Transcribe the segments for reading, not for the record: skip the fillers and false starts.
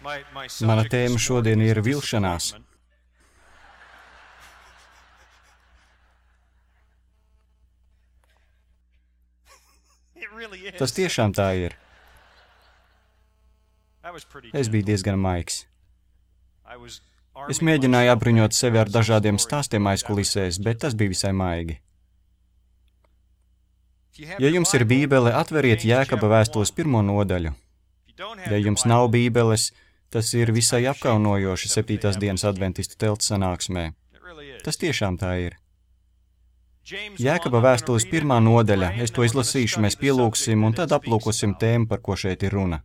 Mana tēma šodien ir vilšanās. Tas tiešām tā ir. Es biju diezgan maigs. Es mēģināju apbruņot sevi ar dažādiem stāstiem aizkulisēs, bet tas bija visai maigi. Ja jums ir Bībele, atveriet Jēkaba vēstules 1. nodaļu. Ja jums nav Bībeles, tas ir visai apkaunojoši 7. dienas adventistu telts sanāksmē. Tas tiešām tā ir. Jēkaba vēstules 1. nodaļa, es to izlasīšu, mēs pielūksim un tad aplūkosim tēmu, par ko šeit ir runa.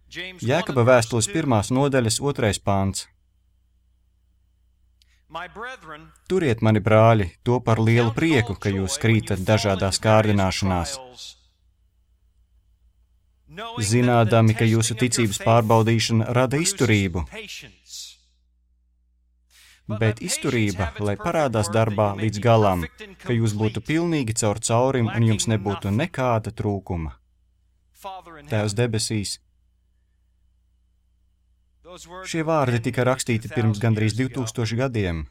Jēkaba vēstules 1. nodaļas 2. pāns. Turiet, mani brāļi, to par lielu prieku, ka jūs krītat dažādās kārdināšanās, zinādami, ka jūsu ticības pārbaudīšana rada izturību. Bet izturība, lai parādās darbā līdz galam, ka jūs būtu pilnīgi caur caurim un jums nebūtu nekāda trūkuma. Tēvs debesīs. Šie vārdi tika rakstīti pirms gandrīz 2000 gadiem,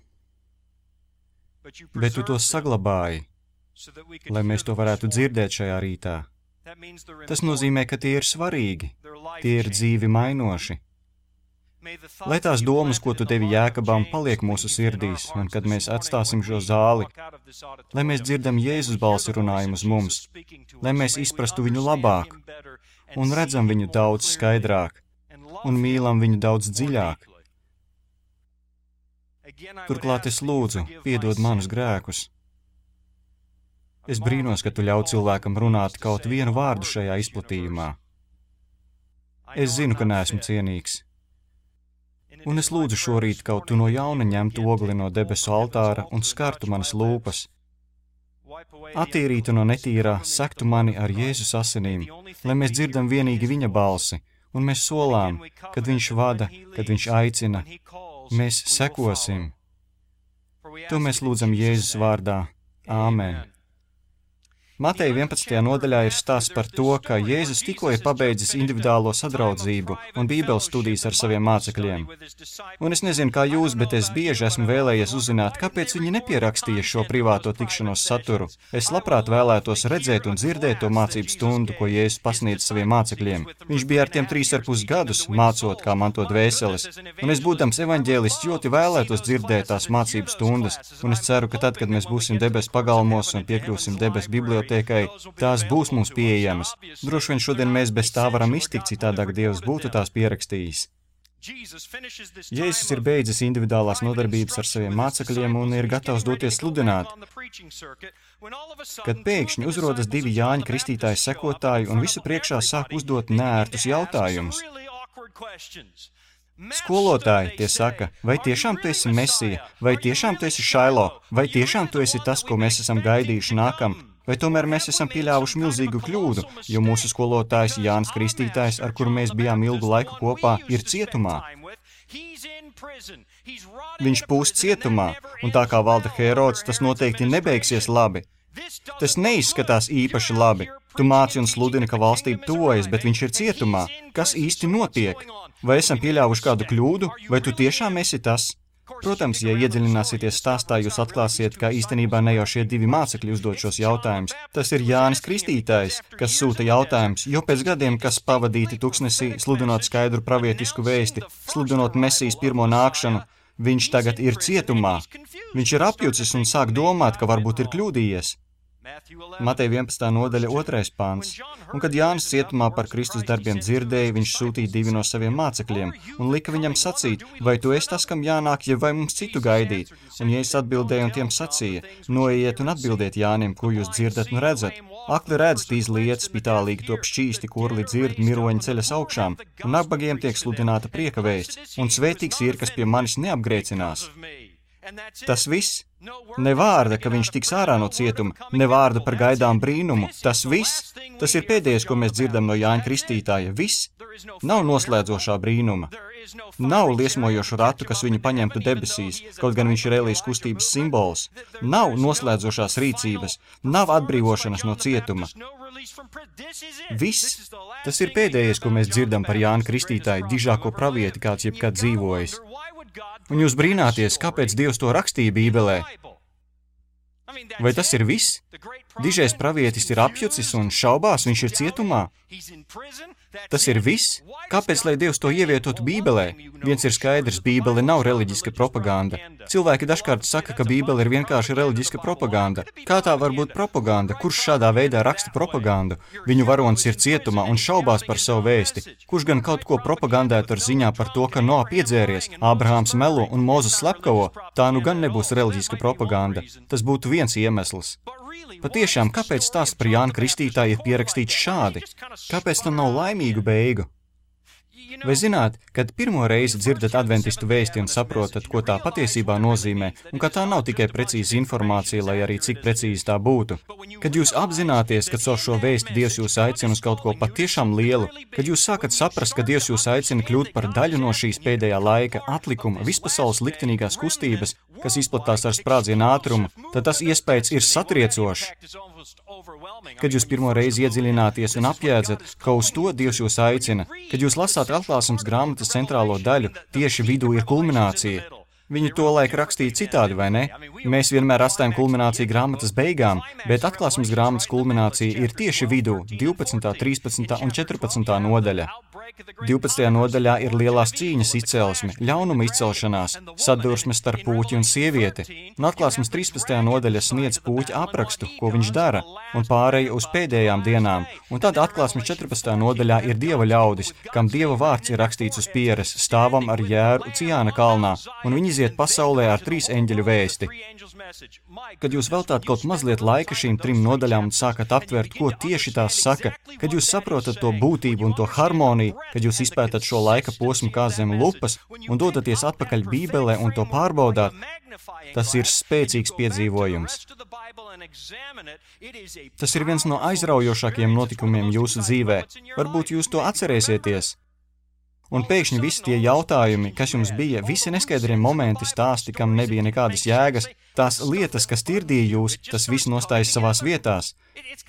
bet tu tos saglabāji, lai mēs to varētu dzirdēt šajā rītā. Tas nozīmē, ka tie ir svarīgi, tie ir dzīvi mainoši. Lai tās domas, ko tu devi Jēkabam, paliek mūsu sirdīs, un kad mēs atstāsim šo zāli, lai mēs dzirdam Jēzus balsi runājumu uz mums, lai mēs izprastu viņu labāk un redzam viņu daudz skaidrāk un mīlam viņu daudz dziļāk. Turklāt es lūdzu, piedod manus grēkus. Es brīnos, ka tu ļauj cilvēkam runāt kaut vienu vārdu šajā izplatījumā. Es zinu, ka neesmu cienīgs. Un es lūdzu šorīt kaut tu no jauna ņemtu ogli no debesu altāra un skartu manas lūpas. Attīrītu no netīrā, sektu mani ar Jēzus asinīm, lai mēs dzirdam vienīgi viņa balsi, un mēs solām, kad viņš vada, kad viņš aicina, mēs sekosim. To mēs lūdzam Jēzus vārdā. Āmen. Mateja 11. nodaļā ir stāsts par to, ka Jēzus tikko ir pabeidzis individuālo sadraudzību un bībeles studijas ar saviem mācekļiem. Un es nezinu, kā jūs, bet es bieži esmu vēlējies uzzināt, kāpēc viņi nepierakstīja šo privāto tikšanos saturu. Es labprāt vēlētos redzēt un dzirdēt to mācību stundu, ko Jēzus pasniedz saviem mācekļiem. Viņš bija ar tiem 3,5 gadus mācot, kā mantot dvēseles. Un es, būdams evaņģēlists, ļoti vēlētos dzirdēt tās mācību stundas. Un es ceru, ka tad, kad mēs būsim debesu pagalmos un piekļūsim debesu bibliotēkai, tās būs mums pieejamas. Droši vien šodien mēs bez tā varam iztikt, citādāk Dievs būtu tās pierakstījis. Jēzus ir beidzis individuālās nodarbības ar saviem mācekļiem un ir gatavs doties sludināt, kad pēkšņi uzrodas 2 Jāņa Kristītāja sekotāji un visu priekšā sāk uzdot neērtus jautājumus. Skolotāji, tie saka, vai tiešām tu esi Mesija, vai tiešām tu esi Šailo, vai tiešām tu esi tas, ko mēs esam gaidījuši nākam, vai tomēr mēs esam pieļāvuši milzīgu kļūdu, jo mūsu skolotājs Jānis Kristītājs, ar kuru mēs bijām ilgu laiku kopā, ir cietumā. Viņš pūst cietumā, un tā kā valda Herods, tas noteikti nebeigsies labi. Tas neizskatās īpaši labi. Tu māci un sludini, ka valstība tuvojas, bet viņš ir cietumā. Kas īsti notiek? Vai esam pieļāvuši kādu kļūdu, vai tu tiešām esi tas? Protams, ja iedziļināsieties stāstā, jūs atklāsiet, ka īstenībā ne jau šie 2 mācekļi uzdod šos jautājumus. Tas ir Jānis Kristītājs, kas sūta jautājumus, jo pēc gadiem, kas pavadīti tuksnesī, sludinot skaidru pravietisku vēsti, sludinot Mesijas pirmo nākšanu, viņš tagad ir cietumā. Viņš ir apjucis un sāk domāt, ka varbūt ir kļūdījies. Mateja 11. nodaļa 2. pāns. Un kad Jānis cietumā par Kristus darbiem dzirdēja, viņš sūtīja 2 no saviem mācekļiem un lika viņam sacīt, vai tu esi tas, kam jānāk, ja vai mums citu gaidīt? Un Jēzus atbildēja un tiem sacīja, noiet un atbildiet Jānim, ko jūs dzirdat un redzat. Akli redz tīs lietas, spitālīgi top šķīsti, kurli dzird, miroņi ceļas augšām, un nabagiem tiek sludināta prieka vēsts, un svētīgs ir, kas pie manis neapgrēcinās. Tas viss. Ne vārda, ka viņš tiks ārā no cietuma, ne vārda par gaidām brīnumu. Tas viss. Tas ir pēdējais, ko mēs dzirdam no Jāņa Kristītāja. Viss. Nav noslēdzošā brīnuma. Nav liesmojošu ratu, kas viņu paņemtu debesīs, kaut gan viņš ir Elijas kustības simbols. Nav noslēdzošās rīcības, nav atbrīvošanas no cietuma. Viss. Tas ir pēdējais, ko mēs dzirdam par Jānu Kristītāju, dižāko pravieti, kāds jebkad dzīvojis. Un jūs brīnāties, kāpēc Dievs to rakstīja Bībelē? Vai tas ir viss? Dižais pravietis ir apjucis un šaubās, viņš ir cietumā. Tas ir viss? Kāpēc, lai Dievs to ievietotu Bībelē? Viens ir skaidrs, Bībele nav reliģiska propaganda. Cilvēki dažkārt saka, ka Bībele ir vienkārši reliģiska propaganda. Kā tā var būt propaganda? Kurš šādā veidā raksta propagandu? Viņu varonis ir cietumā un šaubās par savu vēsti. Kurš gan kaut ko propagandētu ar ziņā par to, ka Noa piedzēries, Ābrahāms melo un Mūzes slepkavo? Tā nu gan nebūs reliģiska propaganda. Tas būtu viens iemesls. Patiešām, kāpēc stāsts par Jānu Kristītāju ir pierakstīts šādi? Kāpēc tam nav laimīgu beigu? Vai zināt, kad pirmo reizi dzirdat adventistu vēsti un saprotat, ko tā patiesībā nozīmē, un ka tā nav tikai precīza informācija, lai arī cik precīzi tā būtu? Kad jūs apzināties, ka caur šo vēsti Dievs jūs aicina uz kaut ko patiešām lielu, kad jūs sākat saprast, ka Dievs jūs aicina kļūt par daļu no šīs pēdējā laika atlikuma, vispasaules liktenīgās kustības, kas izplatās ar sprādzienu ātrumu, tad tas iespējas ir satriecošs. Kad jūs pirmo reizi iedziļināties un apjēdzat, ka uz to Dievs jūs aicina, kad jūs lasāt Atklāsmes grāmatas centrālo daļu, tieši vidū ir kulminācija. Viņi to laik rakstīja citādi, vai ne? Mēs vienmēr atstājam kulmināciju grāmatas beigām, bet Atklāsmes grāmatas kulminācija ir tieši vidū, 12., 13. un 14. nodaļa. 12. nodaļā ir lielās cīņas izcelsme, ļaunuma izcelšanās, sadursme starp puķi un sievieti. Un Atklāsmes 13. nodaļa sniedz puķa aprakstu, ko viņš dara, un pārēja uz pēdējām dienām. Un tad Atklāsmes 14. nodaļā ir Dieva ļaudis, kam Dieva vārds ir rakstīts uz pieres, stāvam ar jēru Ciāna kalnā, un viņi iziet pasaulē ar 3 eņģeļu vēsti. Kad jūs veltāt kaut mazliet laika šīm 3 nodaļām un sākat aptvert, ko tieši tās saka, kad jūs saprotat to būtību un to harmoniju, kad jūs izpētat šo laika posmu kā zem lupas un dodaties atpakaļ Bībelē un to pārbaudāt, tas ir spēcīgs piedzīvojums. Tas ir viens no aizraujošākajiem notikumiem jūsu dzīvē. Varbūt jūs to atcerēsieties. Un pēkšņi visi tie jautājumi, kas jums bija, visi neskaidrie momenti, stāsti, kam nebija nekādas jēgas, tās lietas, kas tirdīja jūs, tas viss nostājas savās vietās.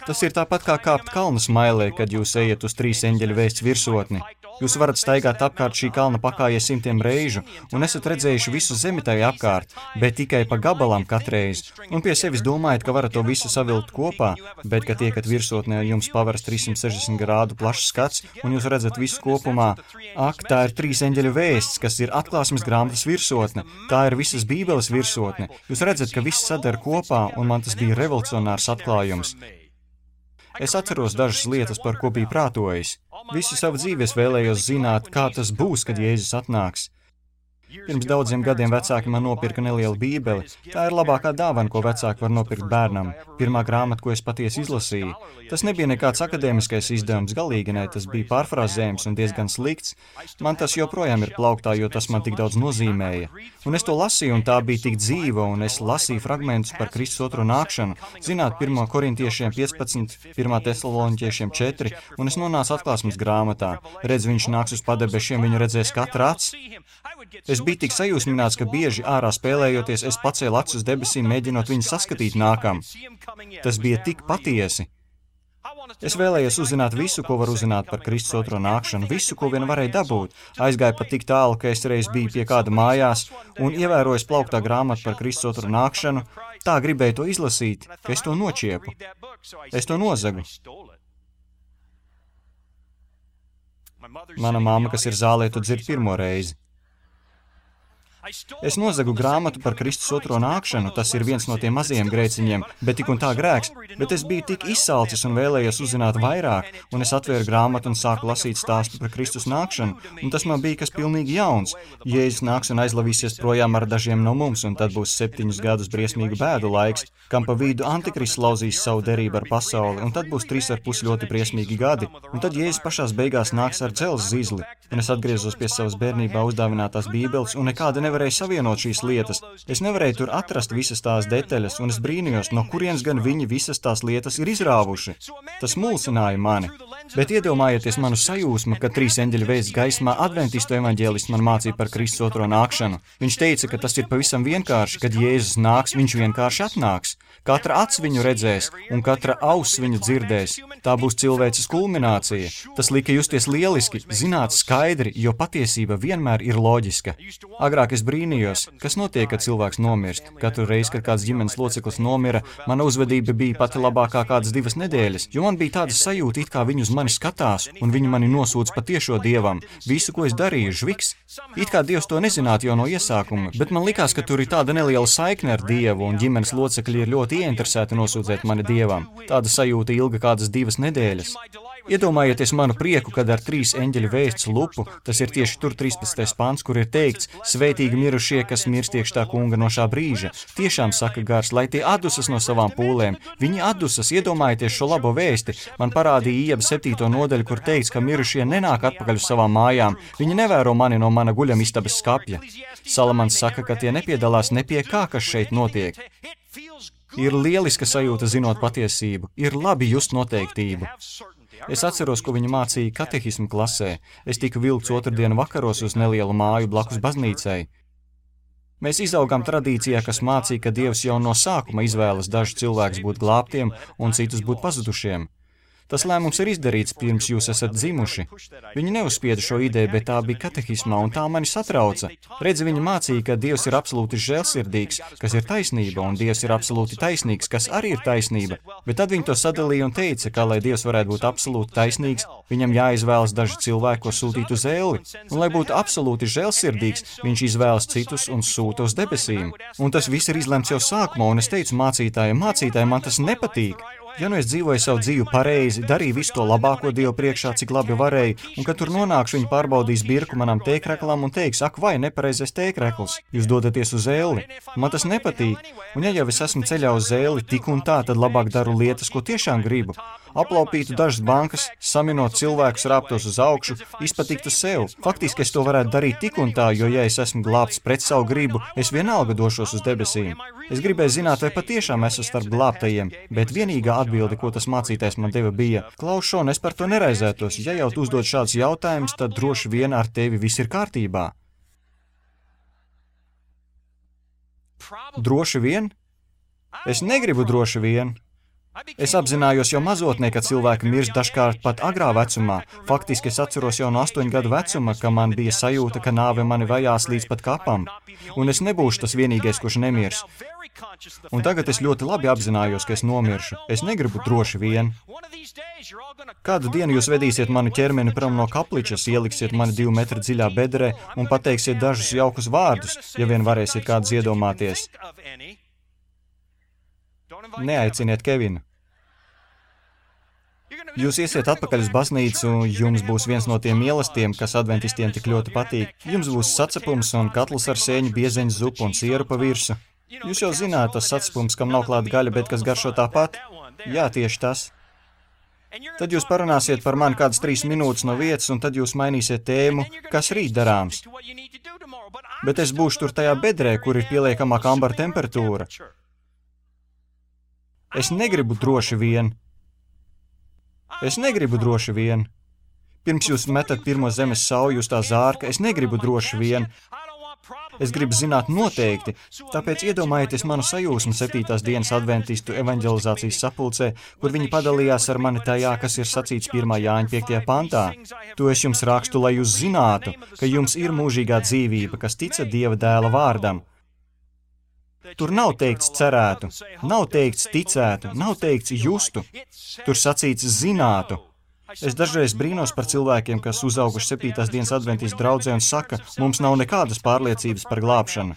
Tas ir tāpat kā kāpt kalnu smailē, kad jūs ejat uz 3 eņģeļu vēsts virsotni. Jūs varat staigāt apkārt šī kalna pakājies 100 reižu un esat redzējuši visu zemi tai apkārt, bet tikai pa gabalām katreiz. Un pie sevis domājat, ka varat to visu savilkt kopā, bet, kad tiekat virsotnē, jums paveras 360 grādu plašs skats un jūs redzat visu kopumā. Ak, tā ir 3 eņģeļu vēsts, kas ir Atklāsmes grāmatas virsotne. Tā ir visas Bībeles virsotne. Jūs redzat, ka viss sadara kopā, un man tas bija revolucionārs atklājums. Es atceros dažas lietas, par ko biju prātojis. Visu savu dzīvi es vēlējos zināt, kā tas būs, kad Jēzus atnāks. Pirms daudziem gadiem vecāki man nopirka nelielu bībeli. Tā ir labākā dāvana, ko vecāki var nopirkt bērnam. Pirmā grāmata, ko es patiesi izlasīju. Tas nebija nekāds akadēmiskais izdevums, galīgi ne, tas bija pārfrāzējums un diezgan slikts. Man tas joprojām ir plauktā, jo tas man tik daudz nozīmēja. Un es to lasīju, un tā bija tik dzīva, un es lasīju fragmentus par Kristus otro nākšanu. Zināt, 1. korintiešiem 15, 1. tesaloniķiešiem 4, un es nonācu Atklāsmes grāmatā. Redz, viņš nāks uz padebešiem, viņu redzēs katra acs. Es biju tik sajūsmināts, ka bieži ārā spēlējoties, es pacēlu acis uz debesīm, mēģinot viņu saskatīt nākam. Tas bija tik patiesi. Es vēlējos uzzināt visu, ko var uzzināt par Kristus otro nākšanu, visu, ko vien varēja dabūt. Aizgāju pat tik tālu, ka es reiz biju pie kāda mājās un ievērojis plauktā grāmatu par Kristus otro nākšanu, tā gribēju to izlasīt, ka es to nočiepu. Es to nozagu. Mana mamma, kas ir zālē, to dzird pirmo reizi. Es nozagu grāmatu par Kristus otro nākšanu, tas ir viens no tiem mazajiem grēciņiem, bet tik un tā grēks, bet es biju tik izsalcis un vēlējos uzzināt vairāk, un es atvēru grāmatu un sāku lasīt stāstu par Kristus nākšanu, un tas man bija kas pilnīgi jauns. Jēzus nāks un aizlavīsies projām ar dažiem no mums, un tad būs 7 gadus briesmīgu bēdu laiks, kam pa vidu Antikrists lauzīs savu derību ar pasauli, un tad būs 3,5 ļoti briesmīgi gadi, un tad Jēzus pašās beigās nāks ar dzelzs zizli, un es atgriezos pie savas bērnībā uzdāvinātās bībeles, un nekāda nevar nevarēju savienot šīs lietas. Es nevarēju tur atrast visas tās detaļas, un es brīnījos, no kurienes gan viņi visas tās lietas ir izrāvuši. Tas mulsināja mani. Bet iedomājieties manu sajūsmu, kad 3 eņģeļu vēsts gaismā adventistu evaņģēlists man mācīja par Kristus otro nākšanu. Viņš teica, ka tas ir pavisam vienkārši, kad Jēzus nāks, viņš vienkārši atnāks. Katra acs viņu redzēs, un katra auss viņu dzirdēs. Tā būs cilvēces kulminācija. Tas lika justies lieliski, zināt skaidri, jo patiesība vienmēr ir loģiska. Agrāk es brīnījos, kas notiek, kad cilvēks nomirst. Katru reizi, kad kāds ģimenes loceklis nomira, mana uzvedība bija pati labākā kādas 2 nedēļas, jo man bija tāda sajūta, it kā viņi uz mani skatās, un viņi mani nosūdz patiešo Dievam. Visu, ko es darīju, žviks. It kā Dievs to nezinātu jau no iesākuma, bet man likās, ka tur ir tāda neliela saikne ar Dievu, un ģimenes locekļi ir ļoti ieinteresēti nosūdzēt mani Dievam. Tāda sajūta ilga kādas 2 nedēļas. Iedomājieties manu prieku, kad ar 3 eņģeļu vēsts lupu, tas ir tieši tur 13. pants, kur ir teikts, svētīgi mirušie, kas mirst iekš tā kunga no šā brīža. Tiešām saka gars, lai tie atdusas no savām pūlēm. Viņi atdusas, iedomājieties šo labo vēsti. Man parādīja Ieba 7. nodaļu, kur teikts, ka mirušie nenāk atpakaļ uz savām mājām. Viņi nevēro mani no mana guļamistabas skapja. Salamans saka, ka tie nepiedalās ne pie kā, kas šeit notiek. Ir lieliska sajūta zinot patiesību, ir labi just noteiktību. Es atceros, ko viņa mācīja katehismu klasē. Es tiku vilkts otrdienu vakaros uz nelielu māju blakus baznīcai. Mēs izaugām tradīcijā, kas mācīja, ka Dievs jau no sākuma izvēlas dažus cilvēkus būt glābtiem un citus būt pazudušiem. Tas lēmums ir izdarīts, pirms jūs esat dzimuši. Viņi neuzspieda šo ideju, bet tā bija katehismā, un tā mani satrauca. Redzi, viņa mācīja, ka Dievs ir absolūti žēlsirdīgs, kas ir taisnība, un Dievs ir absolūti taisnīgs, kas arī ir taisnība. Bet tad viņi to sadalīja un teica, ka, lai Dievs varētu būt absolūti taisnīgs, viņam jāizvēlas daži cilvēki, ko sūtīt uz elli. Un, lai būtu absolūti žēlsirdīgs, viņš izvēlas citus un sūta uz debesīm. Un tas viss ir izlemts jau sākumā, un es teicu mācītājiem, man tas nepatīk. Ja nu es dzīvoju savu dzīvi pareizi, darīju visu to labāko Dievu priekšā, cik labi varēju, un kad tur nonākšu, viņi pārbaudīs birku manam tēkreklam un teiks, ak, vai nepareizais tēkrekls, jūs dodaties uz elli. Man tas nepatīk, un ja jau es esmu ceļā uz elli, tik un tā, tad labāk daru lietas, ko tiešām gribu. Aplaupītu dažas bankas, saminot cilvēkus, rāptos uz augšu, izpatiktu sev. Faktiski es to varētu darīt tik un tā, jo ja es esmu glābts pret savu gribu, es vienalga došos uz debesīm. Es gribēju zināt, vai patiešām esmu starp glābtajiem, bet vienīgā atbilde, ko tas mācītājs man deva, bija: Klaus, Šon, es par to neraizētos. Ja jau tu uzdod šādus jautājumus, tad droši vien ar tevi viss ir kārtībā. Droši vien? Es negribu droši vien. Es apzinājos jau mazotnē, ka cilvēki mirst dažkārt pat agrā vecumā. Faktiski es atceros jau no 8 gadu vecuma, ka man bija sajūta, ka nāve mani vajās līdz pat kapam. Un es nebūšu tas vienīgais, kurš nemirs. Un tagad es ļoti labi apzinājos, ka es nomiršu. Es negribu droši vien. Kādu dienu jūs vedīsiet manu ķermeni prom no kapličas, ieliksiet mani 2 metru dziļā bedrē un pateiksiet dažus jaukus vārdus, ja vien varēsiet kādus iedomāties. Neaiciniet Kevinu. Jūs iesiet atpakaļ uz baznīcu, jums būs viens no tiem mīlestiem, kas adventistiem tik ļoti patīk. Jums būs sacepums un katls ar sēņu, biezeņu zupu un sieru pa virsu. Jūs jau zināt, tas sacepums, kam nav klāta gaļa, bet kas garšo tāpat? Jā, tieši tas. Tad jūs parunāsiet par mani kādas 3 minūtes no vietas, un tad jūs mainīsiet tēmu, kas rīt darāms. Bet es būšu tur tajā bedrē, kur ir pieliekamā kambara temperatūra. Es negribu droši vien. Es negribu droši vien. Pirms jūs metat pirmo zemes sauju uz tā zārka, es negribu droši vien. Es gribu zināt noteikti, tāpēc iedomājieties manu sajūsmu 7. dienas adventistu evaņģelizācijas sapulcē, kur viņi padalījās ar mani tajā, kas ir sacīts 1. Jāņa 5. pantā. To es jums rakstu, lai jūs zinātu, ka jums ir mūžīgā dzīvība, kas tica Dieva dēla vārdam. Tur nav teikts cerētu, nav teikts ticētu, nav teikts justu, tur sacīts zinātu. Es dažreiz brīnos par cilvēkiem, kas uzauguši 7. dienas adventistu draudzē un saka, mums nav nekādas pārliecības par glābšanu.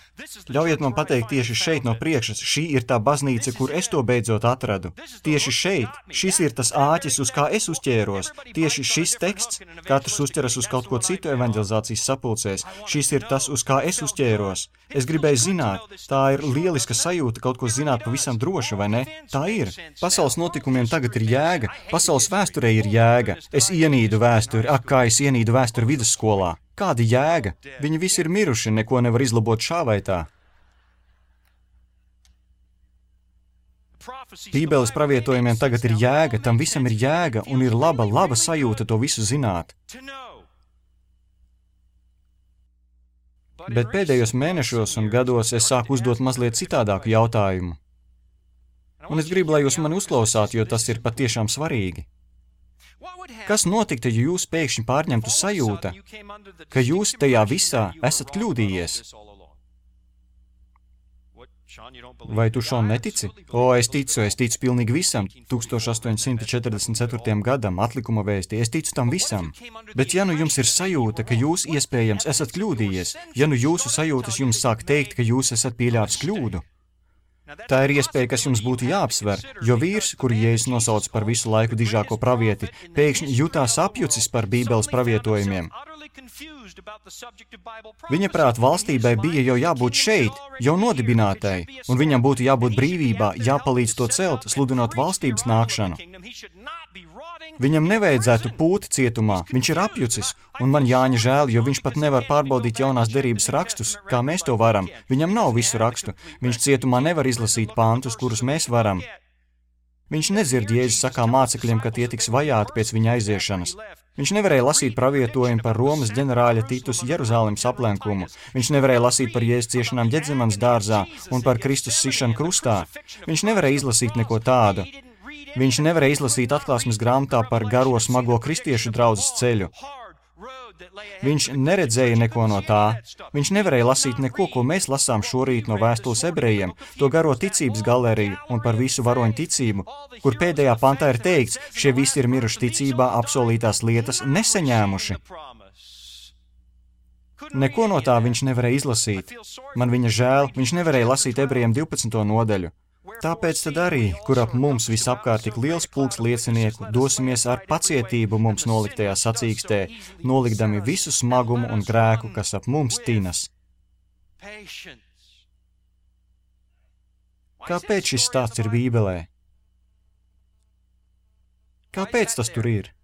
Ļaujiet man pateikt tieši šeit no priekšas, šī ir tā baznīca, kur es to beidzot atradu. Tieši šeit, šis ir tas āķis, uz kā es uzķēros. Tieši šis teksts, katrs uzķeras uz kaut ko citu evaņģelizācijas sapulcēs, šis ir tas, uz kā es uzķēros. Es gribēju zināt, tā ir lieliska sajūta kaut ko zināt pavisam droši, vai ne? Tā ir. Pasaules notikumiem tagad ir jēga, pasaules vēsturē ir jēga. jēga? Es ienīdu vēsturi, ak, kā es ienīdu vēsturi vidusskolā. Kāda jēga? Viņi visi ir miruši, neko nevar izlabot šā vai tā. Bībeles pravietojumiem tagad ir jēga, tam visam ir jēga un ir laba sajūta to visu zināt. Bet pēdējos mēnešos un gados es sāku uzdot mazliet citādāku jautājumu. Un es gribu, lai jūs mani uzklausāt, jo tas ir patiešām svarīgi. Kas notiktu, ja jūs pēkšņi pārņemtu sajūta, ka jūs tajā visā esat kļūdījies? Vai tu šo netici? Es ticu pilnīgi visam, 1844. gadam, atlikuma vēstī, es ticu tam visam. Bet ja nu jums ir sajūta, ka jūs iespējams esat kļūdījies, ja nu jūsu sajūtas jums sāk teikt, ka jūs esat pieļāvis kļūdu, tā ir iespēja, kas jums būtu jāapsver, jo vīrs, kuru Jēzus nosauc par visu laiku dižāko pravieti, pēkšņi jutās apjucis par Bībeles pravietojumiem. Viņa prāt valstībai bija jau jābūt šeit, jau nodibinātai, un viņam būtu jābūt brīvībā, jāpalīdz to celt, sludinot valstības nākšanu. Viņam nevajadzētu pūt cietumā, viņš ir apjucis, un man Jāņa žēl, jo viņš pat nevar pārbaudīt jaunās derības rakstus, kā mēs to varam. Viņam nav visu rakstu, viņš cietumā nevar izlasīt pantus, kurus mēs varam. Viņš nedzird Jēzus sakā mācekļiem, ka tie tiks vajāti pēc viņa aiziešanas. Viņš nevarēja lasīt pravietojumu par Romas ģenerāļa Titus Jeruzālemes aplenkumu. Viņš nevarēja lasīt par Jēzus ciešanām Ģedzemanas dārzā un par Kristus sišanu krustā. Viņš nevarēja izlasīt neko tādu. Viņš nevarēja izlasīt atklāsmes grāmatā par garo smago kristiešu draudzes ceļu. Viņš neredzēja neko no tā. Viņš nevarēja lasīt neko, ko mēs lasām šorīt no vēstules ebrejiem, to garo ticības galeriju un par visu varoņu ticību, kur pēdējā pantā ir teikts, šie visi ir miruši ticībā, apsolītās lietas nesaņēmuši. Neko no tā viņš nevarēja izlasīt. Man viņa žēl, viņš nevarēja lasīt ebrejiem 12. nodaļu. Tāpēc tad arī, kur ap mums visapkārt tik liels pulks liecinieku, dosimies ar pacietību mums noliktajā sacīkstē, nolikdami visu smagumu un grēku, kas ap mums tinas. Kāpēc šis stāsts ir Bībelē? Kāpēc tas tur ir?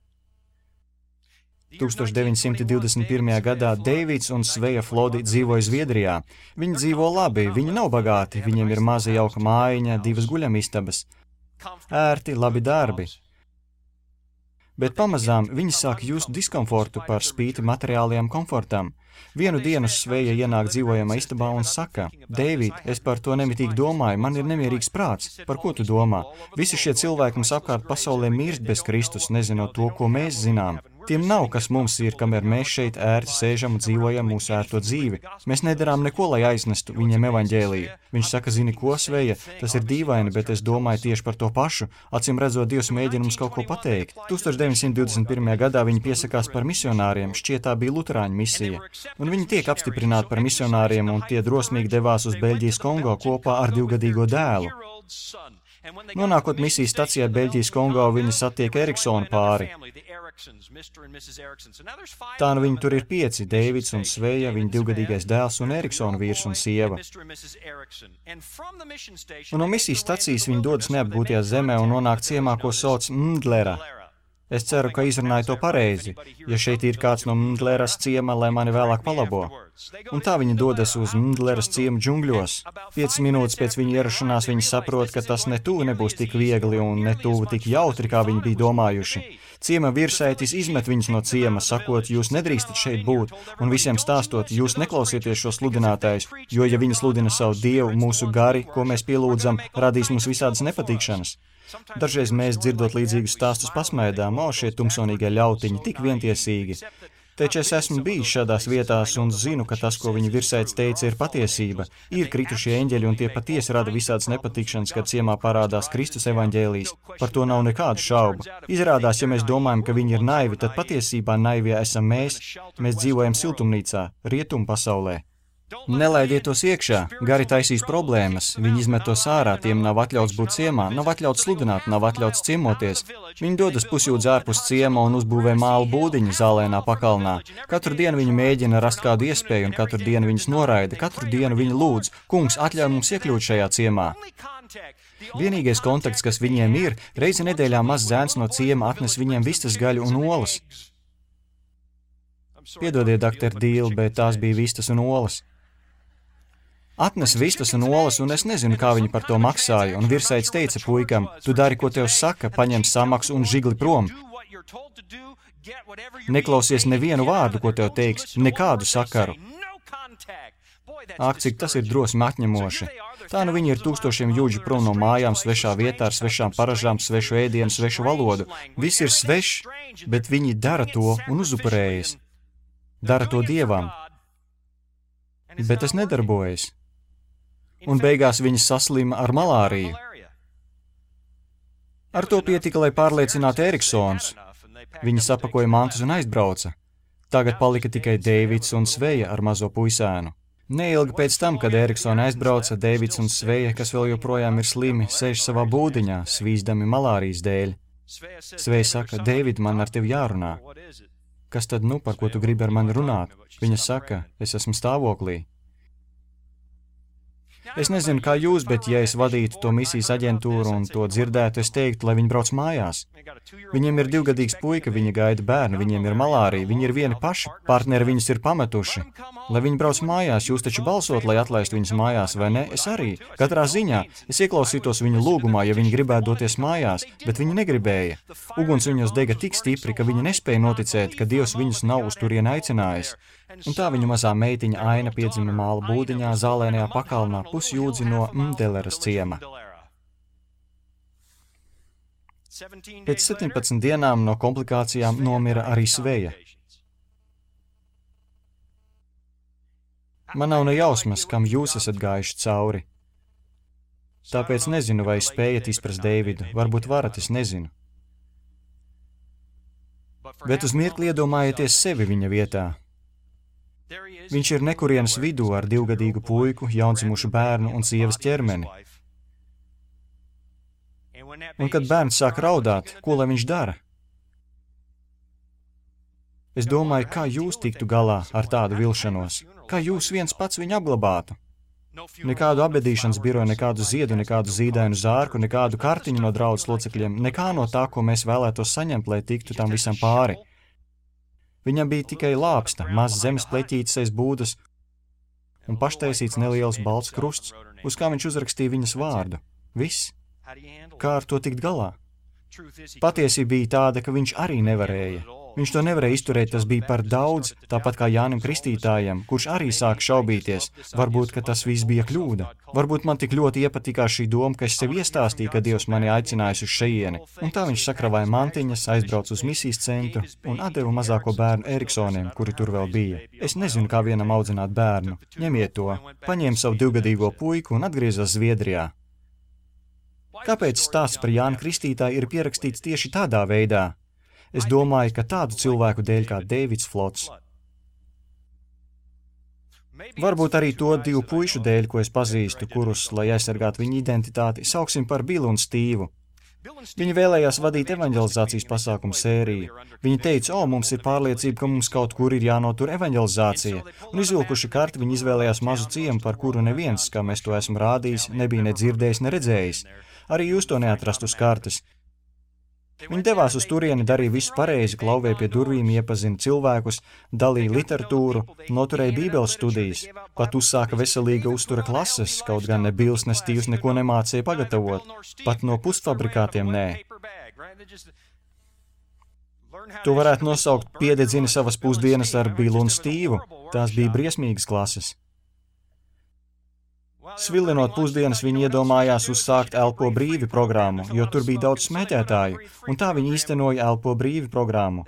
1921. gadā Deivids un Sveja Flodi dzīvoja Zviedrijā. Viņi dzīvo labi, viņi nav bagāti, viņiem ir maza jauka mājiņa, 2 guļamistabas. Ērti, labi darbi. Bet pamazām viņi sāk just diskomfortu par spīti materiālajam komfortam. Vienu dienu Sveja ienāk dzīvojamā istabā un saka, Deivid, es par to nemitīgi domāju, man ir nemierīgs prāts. Par ko tu domā? Visi šie cilvēki mums apkārt pasaulē mirst bez Kristus, nezinot to, ko mēs zinām. Tiem nav, kas mums ir, kamēr mēs šeit ērti sēžam un dzīvojam mūsu ērto dzīvi. Mēs nedarām neko, lai aiznestu viņiem evaņģēliju. Viņš saka, zini ko, Sveja, tas ir dīvaini, bet es domāju tieši par to pašu. Acīm redzot, Dievs mēģina mums kaut ko pateikt. 1921. gadā viņi piesakās par misionāriem, šķiet tā bija luterāņu misija. Un viņi tiek apstiprināti par misionāriem, un tie drosmīgi devās uz Beļģijas Kongo kopā ar 2-gadīgo dēlu. Nonākot misijas stacijā Beļģijas Kongo, viņi satiek Eriksonu pāri. Tā nu viņi tur ir 5, Deivids un Sveja, viņa 2-gadīgais dēls un Eriksona vīrs un sieva. Un no misijas stacijas viņi dodas neapgūtajā zemē un nonāk ciemā, ko sauc Mndlera. Es ceru, ka izrunāju to pareizi, ja šeit ir kāds no Mndleras ciema, lai mani vēlāk palabo. Un tā viņi dodas uz Mndleras ciemu džungļos. 5 minūtes pēc viņa ierašanās viņi saprot, ka tas ne tuvu nebūs tik viegli un ne tuvu tik jautri, kā viņi bija domājuši. Ciema virsētis izmet viņus no ciema, sakot, jūs nedrīkstat šeit būt, un visiem stāstot, jūs neklausieties šo sludinātājus, jo, ja viņi sludina savu Dievu, mūsu gari, ko mēs pielūdzam, radīs mums visādas nepatikšanas. Dažreiz mēs, dzirdot līdzīgus stāstus, pasmēdām, šie tumsonīgie ļautiņi, tik vientiesīgi. Taču es esmu bijis šādās vietās un zinu, ka tas, ko viņa virsēts teica, ir patiesība. Ir kritušie eņģeļi un tie patiesi rada visādas nepatikšanas, kad ciemā parādās Kristus evaņģēlijs. Par to nav nekādu šaubu. Izrādās, ja mēs domājam, ka viņi ir naivi, tad patiesībā naivie esam mēs. Mēs dzīvojam siltumnīcā, rietumu pasaulē. Nelaidiet tos iekšā, gari taisīs problēmas, viņi izmet tos ārā, tiem nav atļauts būt ciemā, nav atļauts sludināt, nav atļauts ciemoties. Viņi dodas pusjūdz ārpus ciema un uzbūvē mālu būdiņu zālēnā pakalnā. Katru dienu viņi mēģina rast kādu iespēju un katru dienu viņus noraida, katru dienu viņi lūdz, kungs, atļauj mums iekļūt šajā ciemā. Vienīgais kontakts, kas viņiem ir, reizi nedēļā mazs zēns no ciema atnes viņiem vistas gaļu un olas. Piedodiet, doktor Dīl, bet tās bija vistas un olas. Atnes vistas un olas, un es nezinu, kā viņi par to maksāja, un virsaids teica puikam, tu dari, ko tev saka, paņem samaksu un žigli prom. Neklausies nevienu vārdu, ko tev teiks, nekādu sakaru. Ak, cik tas ir drosmi atņemoši. Tā nu viņi ir tūkstošiem jūdžu prom no mājām, svešā vietā, ar svešām paražām, svešu ēdienu, svešu valodu. Viss ir svešs, bet viņi dara to un uzupurējas. Dara to dievam. Bet tas nedarbojas. Un beigās viņi saslima ar malāriju. Ar to pietika, lai pārliecinātu Eriksons. Viņi sapakoja mantus un aizbrauca. Tagad palika tikai Deivids un Sveja ar mazo puisēnu. Neilgi pēc tam, kad Eriksona aizbrauca, Deivids un Sveja, kas vēl joprojām ir slimi, sēž savā būdiņā, svīzdami malārijas dēļ. Sveja saka, Deivid, man ar tevi jārunā. Kas tad nu, par ko tu gribi ar mani runāt? Viņa saka, es esmu stāvoklī. Es nezinu, kā jūs, bet ja es vadītu to misijas aģentūru un to dzirdētu, es teiktu, lai viņi brauc mājās. Viņiem ir 2-gadīgs puika, viņi gaida bērnu, viņiem ir malārija, viņi ir vieni paši, partneri viņus ir pametuši. Lai viņi brauc mājās, jūs taču balsot, lai atlaistu viņus mājās, vai ne? Es arī. Katrā ziņā. Es ieklausītos viņu lūgumā, ja viņi gribētu doties mājās, bet viņi negribēja. Uguns viņos dega tik stipri, ka viņi nespēja noticēt, ka Dievs viņus nav uz turieni aicinājis. Un tā viņu mazā meitiņa Aina piedzima māla būdiņā, zālēnajā pakalnā, pusjūdzi no Mdeleras ciema. Pēc 17 dienām no komplikācijām nomira arī Sveja. Man nav ne jausmas, kam jūs esat gājuši cauri. Tāpēc nezinu, vai spējat izprast Deividu. Varbūt varat, es nezinu. Bet uz mirkli iedomājieties sevi viņa vietā. Viņš ir nekurienes vidū ar 2-gadīgu puiku, jaundzimušu bērnu un sievas ķermeni. Un kad bērns sāk raudāt, ko lai viņš dara? Es domāju, kā jūs tiktu galā ar tādu vilšanos? Kā jūs viens pats viņu apglabātu? Nekādu abedīšanas biroju, nekādu ziedu, nekādu zīdainu zārku, nekādu kartiņu no draudzes locekļiem, nekā no tā, ko mēs vēlētos saņemt, lai tiktu tam visam pāri. Viņam bija tikai lāpsta, mazs zemes pleķītes aiz būdas un paštaisīts neliels balts krusts, uz kā viņš uzrakstīja viņas vārdu. Viss. Kā ar to tikt galā? Patiesība bija tāda, ka viņš arī nevarēja. Viņš to nevarēja izturēt, tas bija par daudz, tāpat kā Jānim Kristītājam, kurš arī sāk šaubīties. Varbūt, ka tas viss bija kļūda. Varbūt man tik ļoti iepatikās šī doma, ka es sev iestāstīju, ka Dievs mani aicinājis uz šejieni. Un tā viņš sakravāja mantiņas, aizbrauca uz misijas centru un atdeva mazāko bērnu Eriksoniem, kuri tur vēl bija. Es nezinu, kā vienam audzināt bērnu. Ņemiet to. Paņēma savu 2-gadīgo puiku un atgriezās Zviedrijā. Kāpēc stāsts par Jānu Kristītāju ir pierakstīts tieši tādā veidā? Es domāju, ka tādu cilvēku dēļ kā Deivids Flots. Varbūt arī to 2 puišu dēļ, ko es pazīstu, kurus, lai aizsargātu viņu identitāti, sauksim par Billu un Stīvu. Viņi vēlējās vadīt evaņģelizācijas pasākumu sēriju. Viņi teica, mums ir pārliecība, ka mums kaut kur ir jānotur evaņģelizācija. Un izvilkuši karti, viņi izvēlējās mazu ciemu, par kuru neviens, kā mēs to esam rādījis, nebija ne dzirdējis, ne redzējis. Arī jūs to neatrast uz kartes. Viņi devās uz turieni, darīja visu pareizi, klauvēja pie durvīm, iepazina cilvēkus, dalīja literatūru, noturēja bībeles studijas, pat uzsāka veselīga uztura klases, kaut gan ne Bills, ne Stīvs neko nemācīja pagatavot, pat no pusfabrikātiem nē. To varētu nosaukt piededzina savas pusdienas ar Billu un Stīvu, tās bija briesmīgas klases. Svilinot pusdienas, viņi iedomājās uzsākt Elpo brīvi programmu, jo tur bija daudz smēķētāju, un tā viņi īstenoja Elpo brīvi programmu.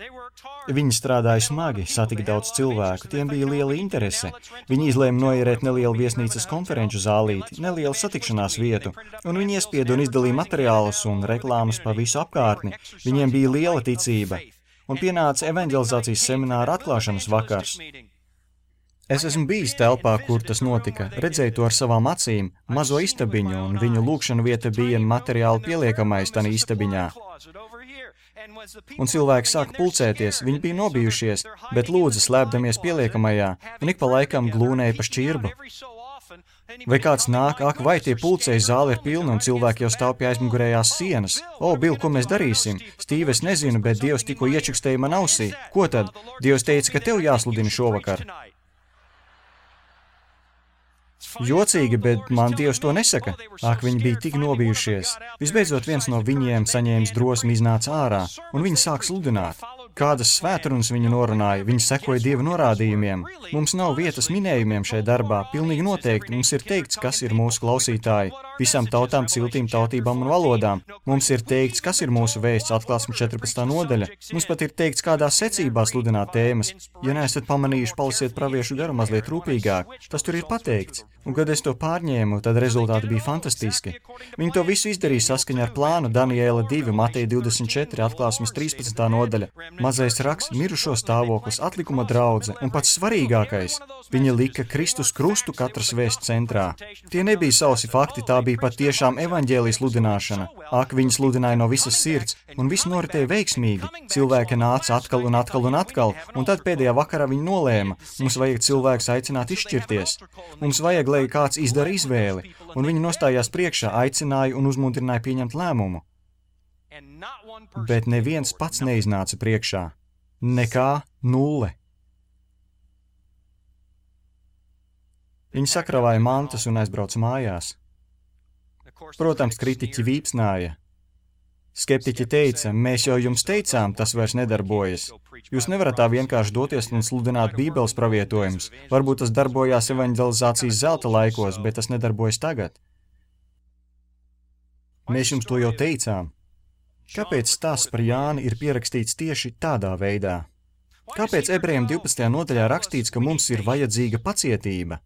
Viņi strādāja smagi, satika daudz cilvēku, tiem bija liela interese. Viņi izlēma noierēt nelielu viesnīcas konferenču zālīti, nelielu satikšanās vietu, un viņi iespieda un izdalīja materiālus un reklāmas pa visu apkārtni. Viņiem bija liela ticība, un pienāca evaņģelizācijas semināra atklāšanas vakars. Es esmu bijis telpā, kur tas notika, redzēju to ar savām acīm, mazo istabiņu, un viņu lūkšanu vieta bija materiāli pieliekamais tanī istabiņā. Un cilvēki sāka pulcēties, viņi bija nobijušies, bet lūdza slēpdamies pieliekamajā, un ik pa laikam glūnēja pa šķirbu. Vai kāds nāk, ak, vai tie pulcēji zāle ir pilna un cilvēki jau stāv pie aizmugurējās sienas? O, Bil, ko mēs darīsim? Stīve, es nezinu, bet Dievs tikko iečukstēja man ausī. Ko tad? Dievs teica, ka tev jāsludina šovakar. Jocīgi, bet man Dievs to nesaka. Ak, viņi bija tik nobijušies. Visbeidzot, viens no viņiem saņēmis drosmi iznāca ārā, un viņi sāk sludināt. Kādas svētrunas viņi norunāja, viņi sekoja Dieva norādījumiem. Mums nav vietas minējumiem šajā darbā, pilnīgi noteikti. Mums ir teikts, kas ir mūsu klausītāji, visām tautām, ciltīm, tautībām un valodām. Mums ir teikts, kas ir mūsu vēsts, Atklāsme 14. nodaļa. Mums pat ir teikts, kādā secībā sludināt tēmas. Ja neesat pamanījuši, palasiet praviešu garu mazliet rūpīgāk. Tas tur ir pateikts. Un, kad es to pārņēmu, tad rezultāti bija fantastiski. Viņi to visu izdarīja saskaņā ar plānu Daniela 2, Mateja 24, Atklāsmes 13. nodaļa. Mazais raksts, mirušo stāvoklis, atlikuma draudze un pats svarīgākais – viņi lika Kristus krustu katras vēsts centrā. Tie nebija sausi fakti, tā bija patiešām evaņģēlijas sludināšana. Ak, viņi sludināja no visas sirds, un viss noritēja veiksmīgi. Cilvēki nāca atkal un atkal un atkal, un tad pēdējā vakarā viņi nolēma, mums vajag cilvēkus aicināt izšķirties. Mums vajag, lai kāds izdara izvēli, un viņi nostājās priekšā, aicināja un uzmundrināja pieņemt lēmumu. Bet neviens pats neiznāca priekšā. Nekā, nulle. Viņi sakravāja mantas un aizbrauca mājās. Protams, kritiķi vīpsnāja. Skeptiķi teica, mēs jau jums teicām, tas vairs nedarbojas. Jūs nevarat tā vienkārši doties un sludināt Bībeles pravietojumus. Varbūt tas darbojās evaņģelizācijas zelta laikos, bet tas nedarbojas tagad. Mēs jums to jau teicām. Kāpēc stāsts par Jāni ir pierakstīts tieši tādā veidā? Kāpēc Ebrejiem 12. nodaļā rakstīts, ka mums ir vajadzīga pacietība?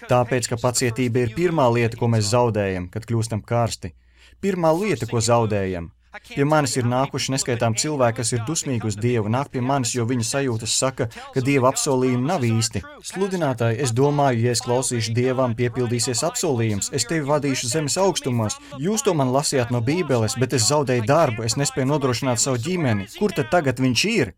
Tāpēc, ka pacietība ir pirmā lieta, ko mēs zaudējam, kad kļūstam karsti. Pirmā lieta, ko zaudējam. Pie manis ir nākuši neskaitām cilvēki, kas ir dusmīgi uz Dievu, nāk pie manis, jo viņa sajūtas saka, ka Dieva apsolījumi nav īsti. Sludinātāji, es domāju, ja es klausīšu Dievam, piepildīsies apsolījums, es tevi vadīšu zemes augstumos. Jūs to man lasījāt no Bībeles, bet es zaudēju darbu, es nespēju nodrošināt savu ģimeni. Kur tad tagad viņš ir?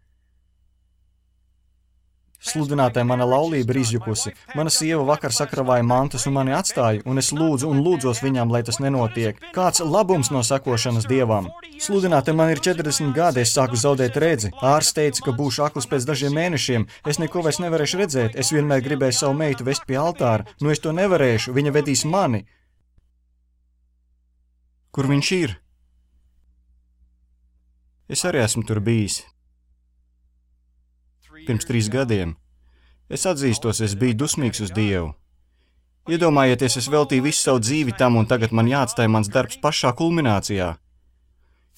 Sludinātāji, mana laulība ir izjukusi. Mana sieva vakar sakravāja mantas un mani atstāja, un es lūdzu un lūdzos viņām, lai tas nenotiek. Kāds labums no sekošanas Dievam? Sludinātāji, man ir 40 gadi, es sāku zaudēt redzi. Ārsts teica, ka būšu akls pēc dažiem mēnešiem. Es neko vairs nevarēšu redzēt. Es vienmēr gribēju savu meitu vest pie altāra. Nu es to nevarēšu, viņa vedīs mani. Kur viņš ir? Es arī esmu tur bijis. Pirms 3 gadiem. Es atzīstos, es biju dusmīgs uz Dievu. Iedomājieties, es veltīju visu savu dzīvi tam, un tagad man jāatstāj mans darbs pašā kulminācijā.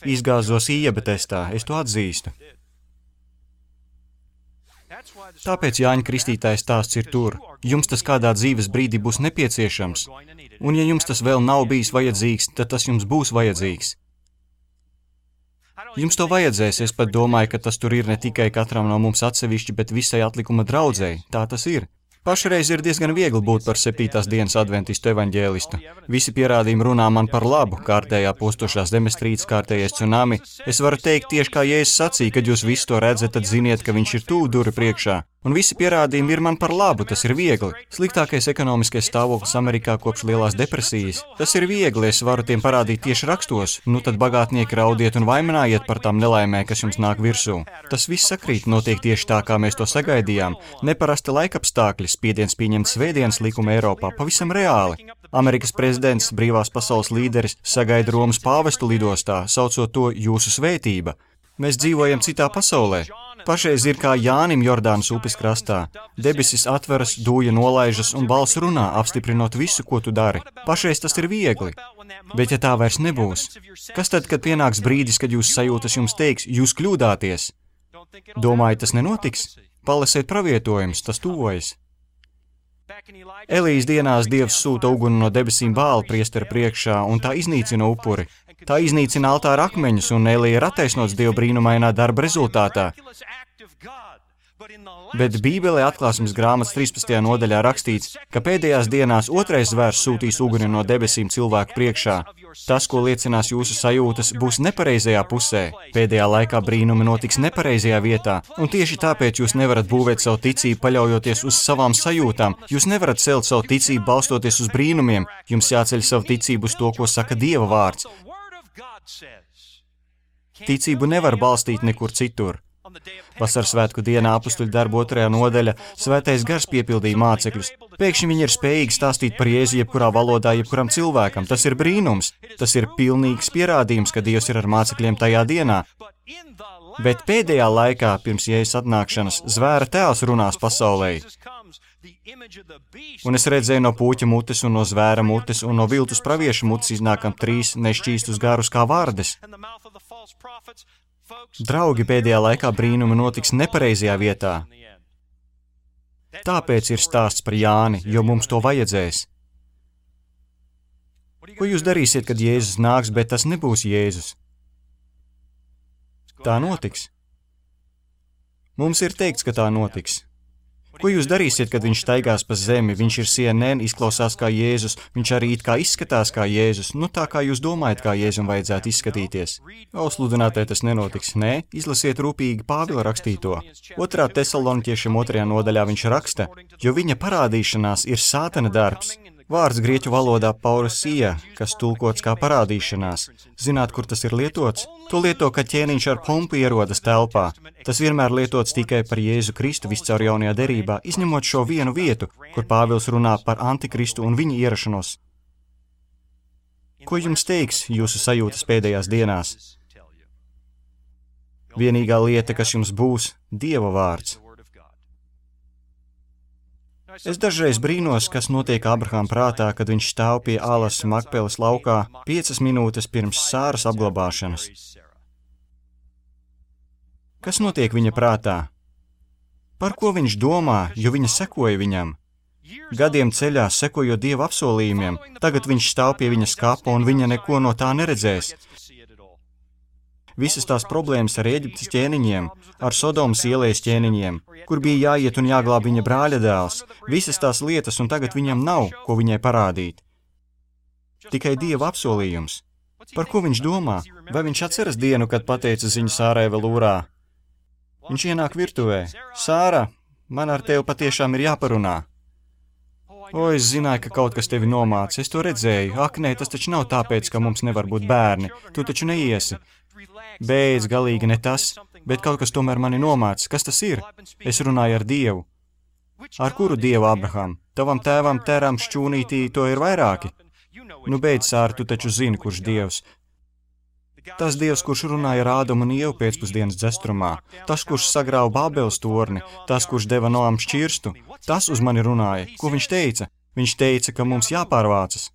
Izgāzos IEBA testā, es to atzīstu. Tāpēc Jāņa Kristītāja stāsts ir tur. Jums tas kādā dzīves brīdī būs nepieciešams. Un ja jums tas vēl nav bijis vajadzīgs, tad tas jums būs vajadzīgs. Jums to vajadzēs, es pat domāju, ka tas tur ir ne tikai katram no mums atsevišķi, bet visai atlikuma draudzei. Tā tas ir. Pašreiz ir diezgan viegli būt par 7. dienas adventistu evaņģēlistu. Visi pierādījumi runā man par labu, kārtējā postošā zemestrīce, kārtējais tsunami. Es varu teikt tieši kā Jēzus sacīja, kad jūs visu to redzat, tad ziniet, ka viņš ir tuvu duri priekšā. Un visi pierādījumi ir man par labu, tas ir viegli. Sliktākais ekonomiskais stāvoklis Amerikā kopš lielās depresijas. Tas ir viegli, es varu tiem parādīt tieši rakstos. Nu tad bagātnieki raudiet un vainojiet par tām nelaimēm, kas jums nāk virsū. Tas viss sakrīt, notiek tieši tā, kā mēs to sagaidījām. Neparasti laikapstākļi, spiediens pieņemt svētdienas likumu Eiropā, pavisam reāli. Amerikas prezidents, brīvās pasaules līderis, sagaida Romas pāvestu lidostā, saucot to jūsu svētība. Mēs dzīvojam citā pasaulē. Pašreiz ir kā Jānim Jordānas upes krastā. Debesis atveras, dūja nolaižas un balss runā, apstiprinot visu, ko tu dari. Pašreiz tas ir viegli. Bet ja tā vairs nebūs, kas tad, kad pienāks brīdis, kad jūs sajūtas jums teiks, jūs kļūdāties? Domāju, tas nenotiks? Palasiet pravietojumus, tas tuvojas. Elijas dienās Dievs sūta uguni no debesīm Bāla priestera priekšā, un tā iznīcina upuri. Tā iznīcina altāra akmeņus, un Elija ir attaisnots Dieva brīnumainā darba rezultātā. Bet Bībelē atklāsmes grāmatas 13. nodaļā rakstīts, ka pēdējās dienās otrais zvērs sūtīs uguni no debesīm cilvēku priekšā. Tas, ko liecinās jūsu sajūtas, būs nepareizajā pusē. Pēdējā laikā brīnumi notiks nepareizajā vietā, un tieši tāpēc jūs nevarat būvēt savu ticību paļaujoties uz savām sajūtām. Jūs nevarat celt savu ticību balstoties uz brīnumiem. Jums jāceļ savu ticību uz to, ko saka Dieva vārds. Ticību nevar balstīt nekur citur. Vasaras svētku dienā apustuļu darbu 2. nodaļa Svētais Gars piepildīja mācekļus. Pēkšņi viņi ir spējīgi stāstīt par Jēzu jebkurā valodā, jebkuram cilvēkam. Tas ir brīnums. Tas ir pilnīgs pierādījums, ka Dievs ir ar mācekļiem tajā dienā. Bet pēdējā laikā, pirms Jēzus atnākšanas, zvēra tēls runās pasaulē. Un es redzēju no puķa mutes un no zvēra mutes un no viltus praviešu mutes iznākam 3 nešķīstus garus kā vārdes. Draugi, pēdējā laikā brīnumi notiks nepareizajā vietā. Tāpēc ir stāsts par Jāni, jo mums to vajadzēs. Ko jūs darīsiet, kad Jēzus nāks, bet tas nebūs Jēzus? Tā notiks. Mums ir teikts, ka tā notiks. Ko jūs darīsiet, kad viņš staigās pa zemi? Viņš ir CNN, izklausās kā Jēzus, viņš arī it kā izskatās kā Jēzus. Nu tā kā jūs domājat, kā Jēzum vajadzētu izskatīties. Sludinātāji tas nenotiks. Nē, izlasiet rūpīgi Pāvila rakstīto. 2. Tesaloniķiešiem 2. nodaļā viņš raksta, jo viņa parādīšanās ir sātana darbs. Vārds grieķu valodā paurusija, kas tulkots kā parādīšanās. Zināt, kur tas ir lietots? To lieto, kad ķēniņš ar pompu ierodas telpā. Tas vienmēr lietots tikai par Jēzu Kristu viscaur jaunajā derībā, izņemot šo vienu vietu, kur Pāvils runā par Antikristu un viņa ierašanos. Ko jums teiks jūsu sajūtas pēdējās dienās? Vienīgā lieta, kas jums būs, Dieva vārds. Es dažreiz brīnos, kas notiek Abrahama prātā, kad viņš stāv pie alas Makpeles laukā 5 minūtes pirms Sāras apglabāšanas. Kas notiek viņa prātā? Par ko viņš domā, jo viņa sekoja viņam? Gadiem ceļā sekojot Dieva apsolījumiem, tagad viņš stāv pie viņas kapa un viņa neko no tā neredzēs. Visas tās problēmas ar Ēģiptes ķēniņiem, ar Sodomas ielas ķēniņiem, kur bija jāiet un jāglāb viņa brāļa dēls, visas tās lietas, un tagad viņam nav, ko viņai parādīt. Tikai Dieva apsolījums. Par ko viņš domā? Vai viņš atceras dienu, kad pateica ziņu Sārai vēl ūrā? Viņš ienāk virtuvē. Sāra, man ar tevi patiešām ir jāparunā. Es zināju, ka kaut kas tevi nomāca, es to redzēju. Ak, nē, tas taču nav tāpēc, ka mums nevar būt bērni. Tu taču neiesi. Beidz, galīgi ne tas, bet kaut kas tomēr mani nomāca. Kas tas ir? Es runāju ar Dievu. Ar kuru Dievu, Abraham? Tavam tēvam, Teram, šķūnītī, to ir vairāki. Nu beidz, Sāra, tu taču zini, kurš Dievs. Tas Dievs, kurš runāja ar Ādamu un Ievu pēcpusdienas dzestrumā. Tas, kurš sagrāva Bābeles torni. Tas, kurš deva Noam šķirstu. Tas uz mani runāja. Ko viņš teica? Viņš teica, ka mums jāpārvācas.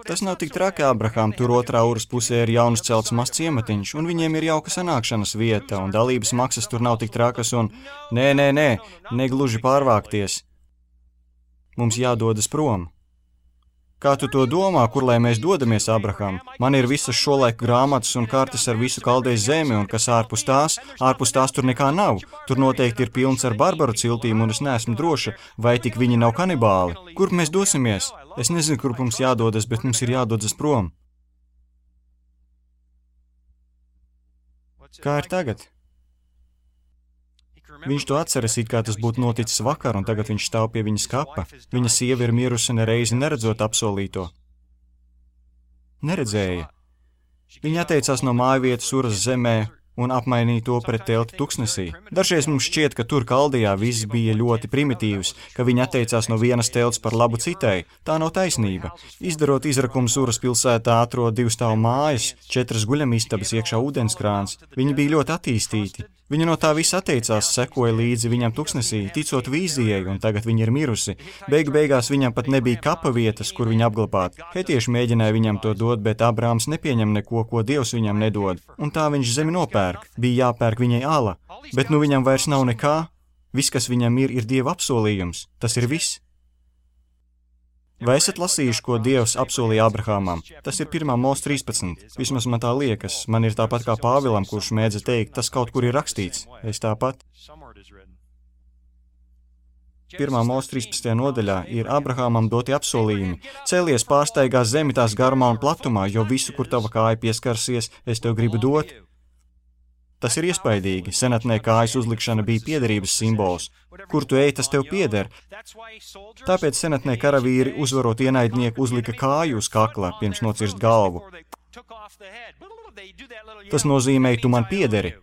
Tas nav tik traki, Abraham, tur otrā jūras pusē ir jauns celts mazs ciematiņš, un viņiem ir jauka sanākšanas vieta, un dalības maksas tur nav tik trakas, un negluži pārvākties. Mums jādodas prom. Kā tu to domā, kur lai mēs dodamies, Abraham? Man ir visas šolaiku grāmatas un kartes ar visu Kaldejas zemi, un kas ārpus tās tur nekā nav. Tur noteikti ir pilns ar barbaru ciltīm, un es neesmu droša, vai tik viņi nav kanibāli. Kur mēs dosimies? Es nezinu, kur mums jādodas, bet mums ir jādodas prom. Kā ir tagad? Viņš to atceras, it kā tas būtu noticis vakar, un tagad viņš stāv pie viņas kapa. Viņa sieva ir mirusi nereizi neredzot apsolīto. Neredzēja. Viņa atteicās no mājvietas Uras zemē un apmainīja to pret telti tuksnesī. Dažreiz mums šķiet, ka tur Kaldejā viss bija ļoti primitīvs, ka viņi atteicās no vienas telts par labu citai. Tā nav taisnība. Izdarot izrakumus Uras pilsētā atrod 2 stāvu mājas, 4 guļamistabas, iekšā ūdenskrāns. Viņi bija ļoti attīstīti. Viņa no tā visa atteicās, sekoja līdzi viņam tuksnesī, ticot vīzijai, un tagad viņa ir mirusi. Beigās viņam pat nebija kapa vietas, kur viņu apglabāt. Hetieši mēģināja viņam to dot, bet Abrāms nepieņem neko, ko Dievs viņam nedod. Un tā viņš zemi nopērk. Bija jāpērk viņai ala. Bet nu viņam vairs nav nekā. Viss, kas viņam ir Dieva apsolījums. Tas ir viss. Vai esat lasījuši, ko Dievs apsolīja Abrahamam? Tas ir 1. Mūzes 13. Vismaz man tā liekas. Man ir tāpat kā Pāvilam, kurš mēdza teikt, tas kaut kur ir rakstīts. Es tāpat. 1. Mūzes 13. nodaļā ir Abrahamam doti apsolījumi. Cēlies pārsteigā zemi tās garumā un platumā, jo visu, kur tava kāja pieskarsies, es tev gribu dot. Tas ir iespaidīgi. Senatnē kājas uzlikšana bija piederības simbols. Kur tu ej, tas tev pieder. Tāpēc senatnē karavīri, uzvarot ienaidnieku, uzlika kāju uz kakla, pirms nocirst galvu. Tas nozīmē, tu man piederi.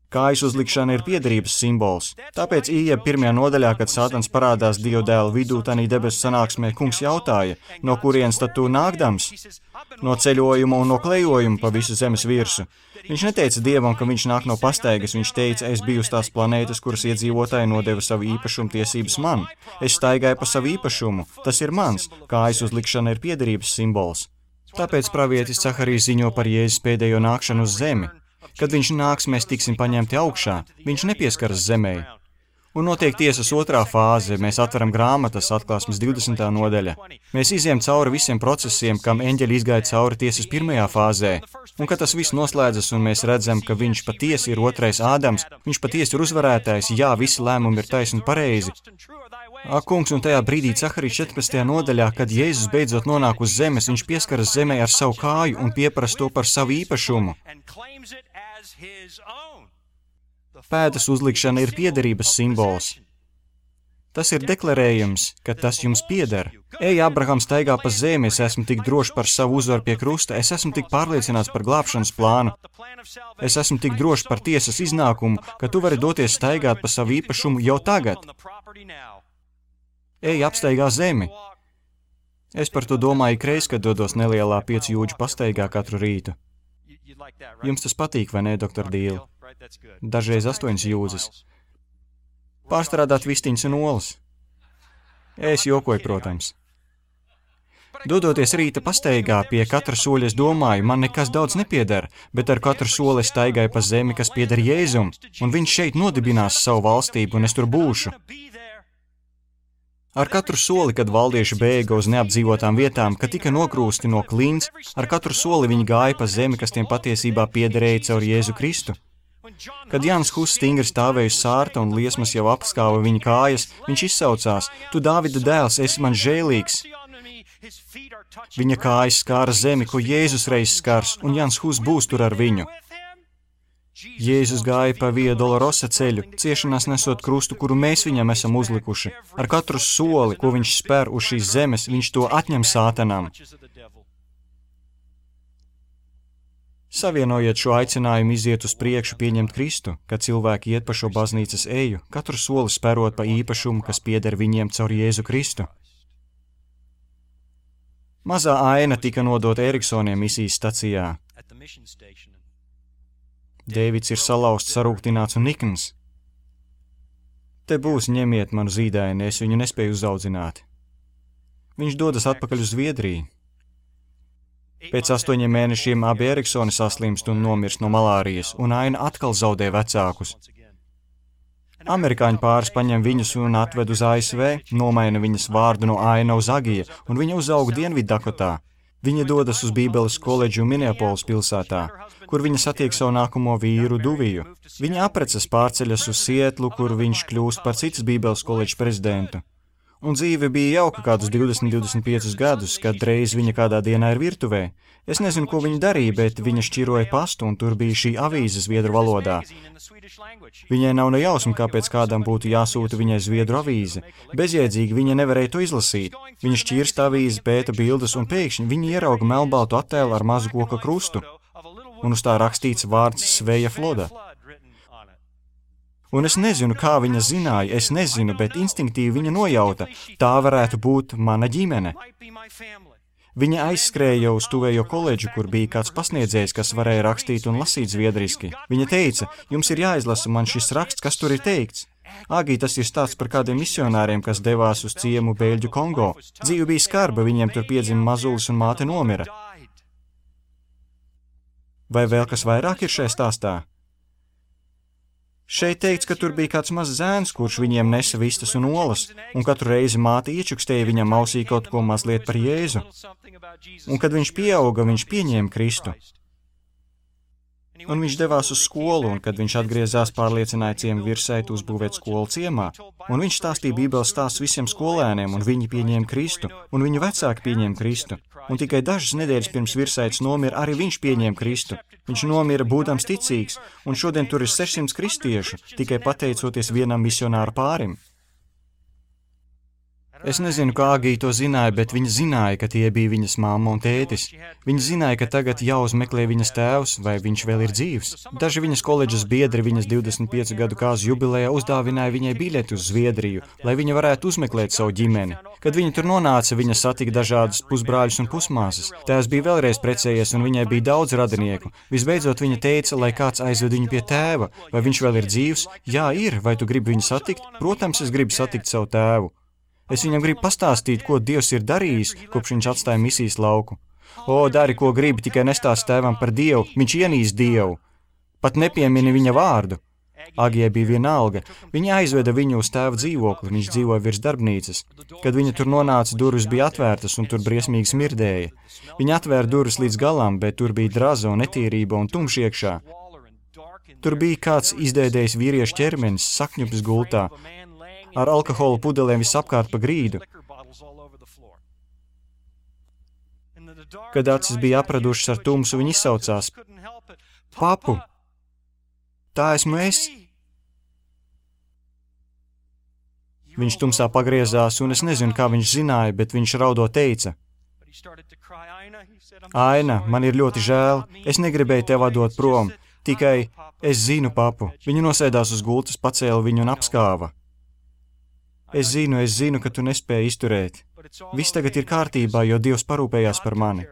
Kājas uzlikšana ir piederības simbols. Tāpēc Ijeba 1. nodaļā, kad Sātans parādās Dieva dēla vidū, tanī debesu sanāksmē, kungs jautāja, no kurienes tad tu nākdams? No ceļojuma un no klejojuma pa visu zemes virsu. Viņš neteica Dievam, ka viņš nāk no pastaigas, viņš teica, es biju uz tās planētas, kuras iedzīvotāji nodeva savu īpašumu tiesības man. Es staigāju pa savu īpašumu, tas ir mans, kājas uzlikšana ir piederības simbols. Tāpēc pravietis Caharijs ziņo par Jēzus pēdējo nākšanu uz zemi. Kad viņš nāks, mēs tiksim paņemti augšā, viņš nepieskaras zemē. Un notiek tiesas otrā fāze, mēs atveram grāmatas, atklāsmes 20. nodaļa. Mēs iziem cauri visiem procesiem, kam eņģeļi izgāja cauri tiesas 1. fāzē. Un kad tas viss noslēdzas un mēs redzam, ka viņš patiesi ir otrais Ādams, viņš patiesi ir uzvarētājs, jā, visi lēmumi ir taisni un pareizi. Ak, kungs, un tajā brīdī Caharijas 14. nodaļā, kad Jēzus beidzot nonāk uz zemes, viņš pieskaras zemē ar savu kāju un pieprasa to par savu īpašumu. Pēdas uzlikšana ir piederības simbols. Tas ir deklarējums, ka tas jums pieder. Ej, Abrahams, staigā pa zemi, es esmu tik drošs par savu uzvaru pie krusta, es esmu tik pārliecināts par glābšanas plānu, es esmu tik drošs par tiesas iznākumu, ka tu vari doties staigāt pa savu īpašumu jau tagad. Ej, apstaigā zemi. Es par to domāju ikreiz, kad dodos nelielā 5 jūdžu pastaigā katru rītu. Jums tas patīk, vai ne, doktor Dīli? Dažreiz 8 jūdzes. Pārstrādāt vistiņas un olas. Es jokoju, protams. Dodoties rīta pastaigā, pie katra soļa es domāju, man nekas daudz nepieder, bet ar katru soli es staigāju pa zemi, kas pieder Jēzum, un viņš šeit nodibinās savu valstību, un es tur būšu. Ar katru soli, kad valdieši bēga uz neapdzīvotām vietām, kad tika nokrūsti no klints, ar katru soli viņi gāja pa zemi, kas tiem patiesībā piederēja caur Jēzu Kristu. Kad Jānis Huss stingri stāvēja uz sārta un liesmas jau apskāva viņa kājas, viņš izsaucās, tu Dāvida dēls, esi man žēlīgs. Viņa kājas skāra zemi, ko Jēzus reiz skars, un Jānis Huss būs tur ar viņu. Jēzus gāja pa Via Dolorosa ceļu, ciešanās nesot krustu, kuru mēs viņam esam uzlikuši. Ar katru soli, ko viņš spēr uz šīs zemes, viņš to atņem Sātanam. Savienojiet šo aicinājumu iziet uz priekšu pieņemt Kristu, kad cilvēki iet pa šo baznīcas eju, katru soli spērot pa īpašumu, kas pieder viņiem caur Jēzu Kristu. Mazā aina tika nodota Eriksoniem misijas stacijā. Dēvids ir salauzts, sarūktināts un nikns. Te būs, ņemiet manu zīdaini, es viņu nespēju uzaudzināt. Viņš dodas atpakaļ uz Zviedriju. Pēc 8 mēnešiem abi Eriksoni saslimst un nomirst no malārijas, un aina atkal zaudē vecākus. Amerikāņu pāris paņem viņus un atved uz ASV, nomaina viņas vārdu no Aina uz Agija, un viņa uzauga Dienviddakotā. Viņa dodas uz Bībeles koledžu Minneapolis pilsētā, kur viņa satiek savu nākamo vīru Duviju. Viņa apprecas pārceļas uz Sietlu, kur viņš kļūst par citas Bībeles koledžas prezidentu. Un dzīve bija jauka kādus 20-25 gadus, kad reiz viņa kādā dienā ir virtuvē. Es nezinu, ko viņa darīja, bet viņa šķiroja pastu, un tur bija šī avīze zviedru valodā. Viņai nav ne jausma, kāpēc kādam būtu jāsūta viņai zviedru avīze. Bezjēdzīgi viņa nevarēja to izlasīt. Viņa šķirst avīzi, pēta bildes, un pēkšņi viņa ierauga melnbaltu attēlu ar mazu koka krustu, un uz tā rakstīts vārds Sveja Floda. Un es nezinu, kā viņa zināja, es nezinu, bet instinktīvi viņa nojauta, tā varētu būt mana ģimene. Viņa aizskrēja uz tuvējo koledžu, kur bija kāds pasniedzējs, kas varēja rakstīt un lasīt zviedriski. Viņa teica, jums ir jāizlasa man šis raksts, kas tur ir teikts. Agī, tas ir stāsts par kādiem misionāriem, kas devās uz ciemu Beļģu Kongo. Dzīve bija skarba, viņiem tur piedzima mazulis un māte nomira. Vai vēl kas vairāk ir šajā stāstā? Šeit teikts, ka tur bija kāds mazs zēns, kurš viņiem nesa vistas un olas, un katru reizi māte iečukstēja viņam ausī kaut ko mazliet par Jēzu. Un kad viņš pieauga, viņš pieņēma Kristu. Un viņš devās uz skolu, un kad viņš atgriezās, pārliecināja ciemu virsētu uzbūvēt skolu ciemā. Un viņš stāstīja Bībeles stāstus visiem skolēniem, un viņi pieņēma Kristu, un viņu vecāki pieņēma Kristu. Un tikai dažas nedēļas pirms virsētas nomira, arī viņš pieņēma Kristu. Viņš nomira būdams ticīgs, un šodien tur ir 600 kristiešu, tikai pateicoties vienam misionāru pārim. Es nezinu, kā Agija to zināja, bet viņa zināja, ka tie bija viņas mamma un tētis. Viņa zināja, ka tagad jāuzmeklē viņas tēvs, vai viņš vēl ir dzīvs. Daži viņas koledžas biedri viņas 25 gadu kāzu jubilejā uzdāvināja viņai biļeti uz Zviedriju, lai viņa varētu uzmeklēt savu ģimeni. Kad viņa tur nonāca, viņa satika dažādus pusbrāļus un pusmāsas. Tēvs bija vēlreiz precējies, un viņai bija daudz radinieku. Visbeidzot, viņa teica, lai kāds aizved viņu pie tēva. Vai viņš vēl ir dzīvs? Jā, ir. Vai tu gribi viņu satikt? Protams, es gribu satikt savu tēvu. Es viņam gribu pastāstīt, ko Dievs ir darījis, kopš viņš atstāja misijas lauku. O, dari, ko gribi, tikai nestāst tēvam par Dievu, viņš ienīst Dievu. Pat nepiemini viņa vārdu. Agijai bija vienalga. Viņa aizveda viņu uz tēva dzīvokli, viņš dzīvoja virs darbnīcas. Kad viņa tur nonāca, durvis bija atvērtas un tur briesmīgi smirdēja. Viņa atvēra durvis līdz galam, bet tur bija draza un netīrība un tumš iekšā. Tur bija kāds izdēdējis vīriešu ķermenis, sakņupis gultā, ar alkohola pudelēm visapkārt pa grīdu. Kad acis bija apradušas ar tumsu, viņi izsaucās: Papu, tā esmu es! Viņš tumsā pagriezās, un es nezinu, kā viņš zināja, bet viņš raudot teica: Aina, man ir ļoti žēl, es negribēju tev atdot prom, tikai es zinu, papu. Viņa nosēdās uz gultas, pacēla viņu un apskāva. Es zinu, ka tu nespēji izturēt. Viss tagad ir kārtībā, jo Dievs parūpējās par mani.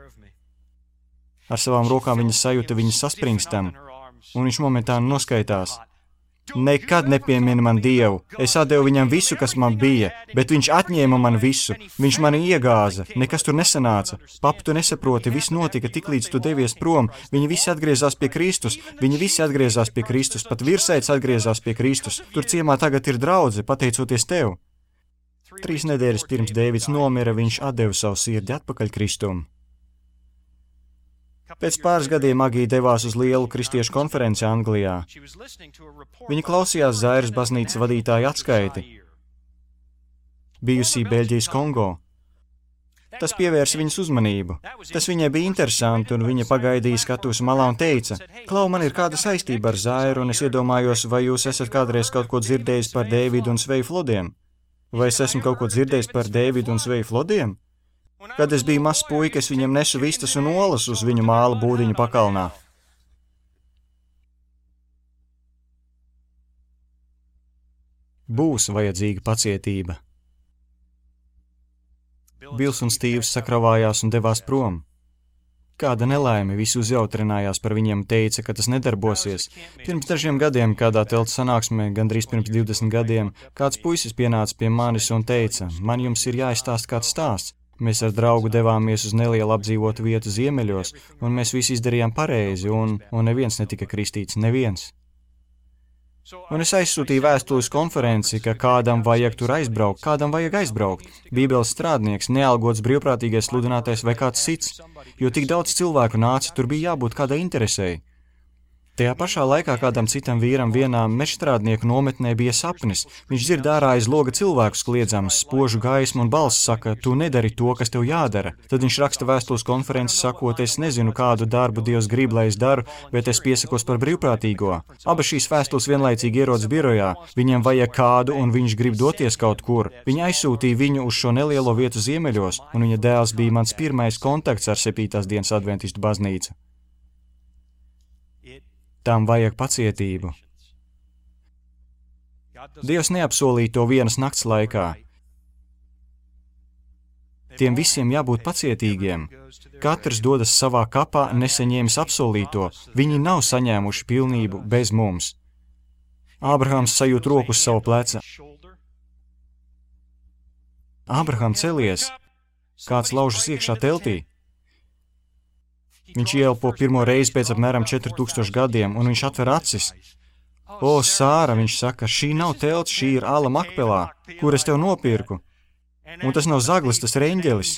Ar savām rokām viņa sajūta viņas saspringstam, un viņš momentāni noskaitās. Nekad nepiemini man Dievu. Es atdevu viņam visu, kas man bija, bet viņš atņēma man visu. Viņš mani iegāza, nekas tur nesanāca. Papa, tu nesaproti, viss notika tik līdz tu devies prom. Viņi visi atgriezās pie Kristus, pat virsēts atgriezās pie Kristus. Tur ciemā tagad ir draudze, pateicoties tev. 3 nedēļas pirms Dēvids nomira, viņš atdeva savu sirdi atpakaļ Kristum. Pēc pāris gadiem Agija devās uz lielu kristiešu konferenci Anglijā. Viņa klausījās Zairas baznīcas vadītāja atskaiti, bijusī Beļģijas Kongo. Tas pievērsa viņas uzmanību. Tas viņai bija interesanti, un viņa pagaidīja skatuves malā un teica: Klau, man ir kāda saistība ar Zairu, un es iedomājos, vai jūs esat kādreiz kaut ko dzirdējis par Dēvidu un Sveju Flodiem? Vai es esmu kaut ko dzirdējis par Dēvidu un Sveju Flodiem? Kad es biju mazs puika, es viņam nesu vistas un olas uz viņu māla būdiņu pakalnā. Būs vajadzīga pacietība. Bils un Stīvs sakravājās un devās prom. Kāda nelaime, visi uzjautrinājās par viņiem, teica, ka tas nedarbosies. Pirms dažiem gadiem, kādā telts sanāksmē, gandrīz pirms 20 gadiem, kāds puisis pienāca pie manis un teica: Man jums ir jāizstāst kāds stāsts. Mēs ar draugu devāmies uz nelielu apdzīvotu vietu ziemeļos, un mēs visi izdarījām pareizi, un neviens netika kristīts, neviens. Un es aizsūtīju vēstuli uz konferenci, ka kādam vajag tur aizbraukt, kādam vajag aizbraukt. Bībeles strādnieks, nealgots brīvprātīgais sludinātājs vai kāds cits, jo tik daudz cilvēku nāca, tur bija jābūt kādai interesei. Tajā pašā laikā kādam citam vīram vienā mežstrādnieku nometnē bija sapnis. Viņš dzird ārā aiz loga cilvēkus kliedzams, spožu gaismu un balss saka: Tu nedari to, kas tev jādara. Tad viņš raksta vēstules konferences sakot: Es nezinu, kādu darbu Dievs grib, lai es daru, bet es piesakos par brīvprātīgo. Abas šīs vēstules vienlaicīgi ierodas birojā. Viņam vajag kādu, un viņš grib doties kaut kur. Viņa aizsūtīja viņu uz šo nelielo vietu ziemeļos, un viņa dēls bija mans pirmais kontakts ar 7. dienas adventistu baznīcu. Tām vajag pacietību. Dievs neapsolīja to vienas nakts laikā. Tiem visiem jābūt pacietīgiem. Katrs dodas savā kapā, nesaņēmis apsolīto. Viņi nav saņēmuši pilnību bez mums. Ābrahams sajūt roku uz savu pleca. Ābraham, celies! Kāds laužas iekšā teltī. Viņš ieelpo pirmo reizi pēc apmēram 4000 gadiem, un viņš atver acis. O, Sāra, viņš saka, šī nav telts, šī ir ala Makpelā, kur es tev nopirku. Un tas nav zaglis, tas ir eņģelis.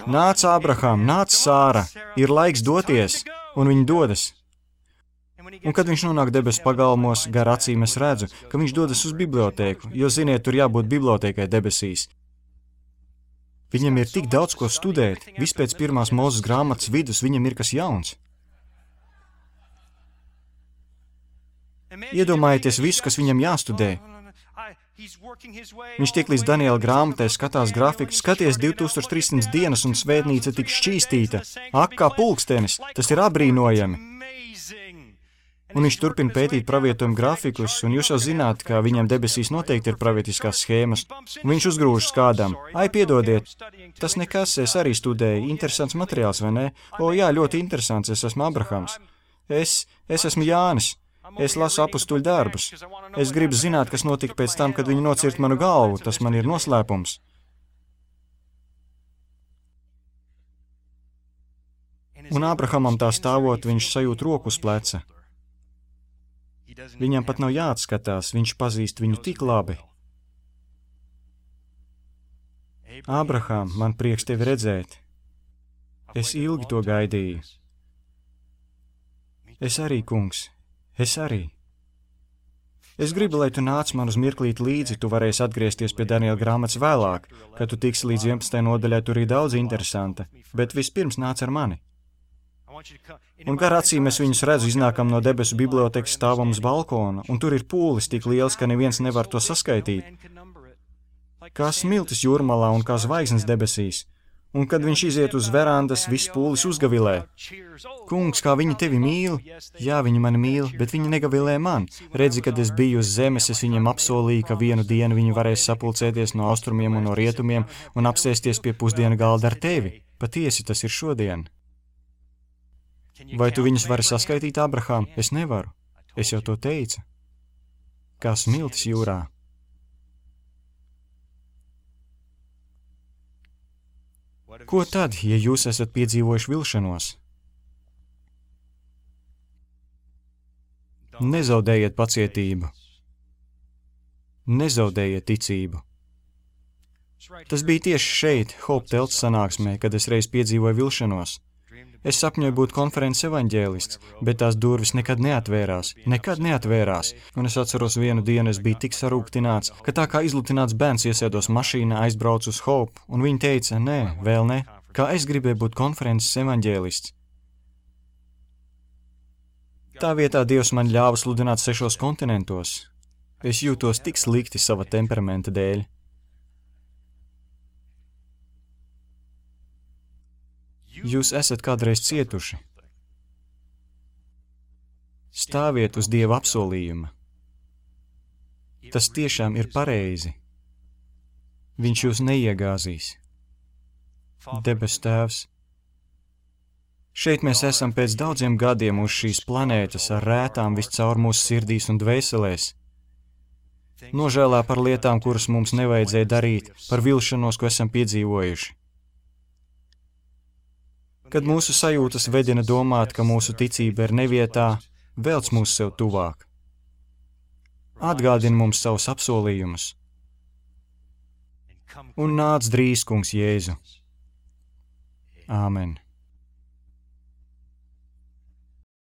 Nāc, Ābrahām, nāc, Sāra, ir laiks doties, un viņi dodas. Un kad viņš nonāk debesu pagalmos, gar acīm es redzu, ka viņš dodas uz bibliotēku, jo, ziniet, tur jābūt bibliotēkai debesīs. Viņam ir tik daudz ko studēt, viss pēc pirmās Mūzes grāmatas vidus viņam ir kas jauns. Iedomājieties visu, kas viņam jāstudē. Viņš tiek līdz Daniela grāmatai, skatās grafiku, skaties 2300 dienas un svētnīca tik šķīstīta. Ak, kā pulkstenis, tas ir apbrīnojami. Un viņš turpina pētīt pravietojumu grafikus, un jūs jau zināt, ka viņam debesīs noteikti ir pravietiskās schēmas. Un viņš uzgrūžas kādam. Ai, piedodiet, tas nekas, es arī studēju, interesants materiāls, vai ne? O, jā, ļoti interesants, es esmu Abrahams. Es esmu Jānis. Es lasu apustuļu darbus. Es gribu zināt, kas notika pēc tam, kad viņi nocirt manu galvu. Tas man ir noslēpums. Un Ābrahamam tā stāvot, viņš sajūt roku uz pleca. Viņam pat nav jāatskatās, viņš pazīst viņu tik labi. Ābraham, man prieks tevi redzēt. Es ilgi to gaidīju. Es arī, kungs. Es arī. Es gribu, lai tu nāc man uz mirklīt līdzi, tu varēsi atgriezties pie Daniela grāmatas vēlāk, kad tu tiksi līdz 11. nodaļai, tur ir daudz interesanta, bet vispirms nāc ar mani. Un gar acīm es viņus redzu, iznākam no debesu bibliotekas, stāvam uz balkona, un tur ir pūlis tik liels, ka neviens nevar to saskaitīt. Kā smiltis jūrmalā un kā zvaigznes debesīs. Un kad viņš iziet uz verandas, viss pūlis uzgavilē. Kungs, kā viņi tevi mīl? Jā, viņi mani mīl, bet viņi negavilē man. Redzi, kad es biju uz zemes, es viņiem apsolīju, ka vienu dienu viņi varēs sapulcēties no austrumiem un no rietumiem un apsēsties pie pusdienu galda ar tevi. Patiesi, tas ir šodien. Vai tu viņus vari saskaitīt, Abrahām? Es nevaru. Es jau to teicu. Kā smiltis jūrā. Ko tad, ja jūs esat piedzīvojuši vilšanos? Nezaudējiet pacietību. Nezaudējiet ticību. Tas bija tieši šeit, Hope telts sanāksmē, kad es reiz piedzīvoju vilšanos. Es sapņoju būt konferences evaņģēlists, bet tās durvis nekad neatvērās. Un es atceros vienu dienu, es biju tik sarūktināts, ka tā kā izlutināts bērns iesēdos mašīnā, aizbraucu uz Hope, un viņi teica, nē, vēl ne, kā es gribēju būt konferences evaņģēlists. Tā vietā Dievs man ļāva sludināt 6 kontinentos. Es jūtos tik slikti sava temperamenta dēļ. Jūs esat kādreiz cietuši. Stāviet uz Dieva apsolījuma. Tas tiešām ir pareizi. Viņš jūs neiegāzīs. Debes Tēvs. Šeit mēs esam pēc daudziem gadiem uz šīs planētas ar rētām viscaur mūsu sirdīs un dvēselēs. Nožēlā par lietām, kuras mums nevajadzēja darīt, par vilšanos, ko esam piedzīvojuši. Kad mūsu sajūtas vedina domāt, ka mūsu ticība ir nevietā, velc mūs sev tuvāk. Atgādini mums savus apsolījumus. Un nāc drīz, kungs Jēzu. Āmen.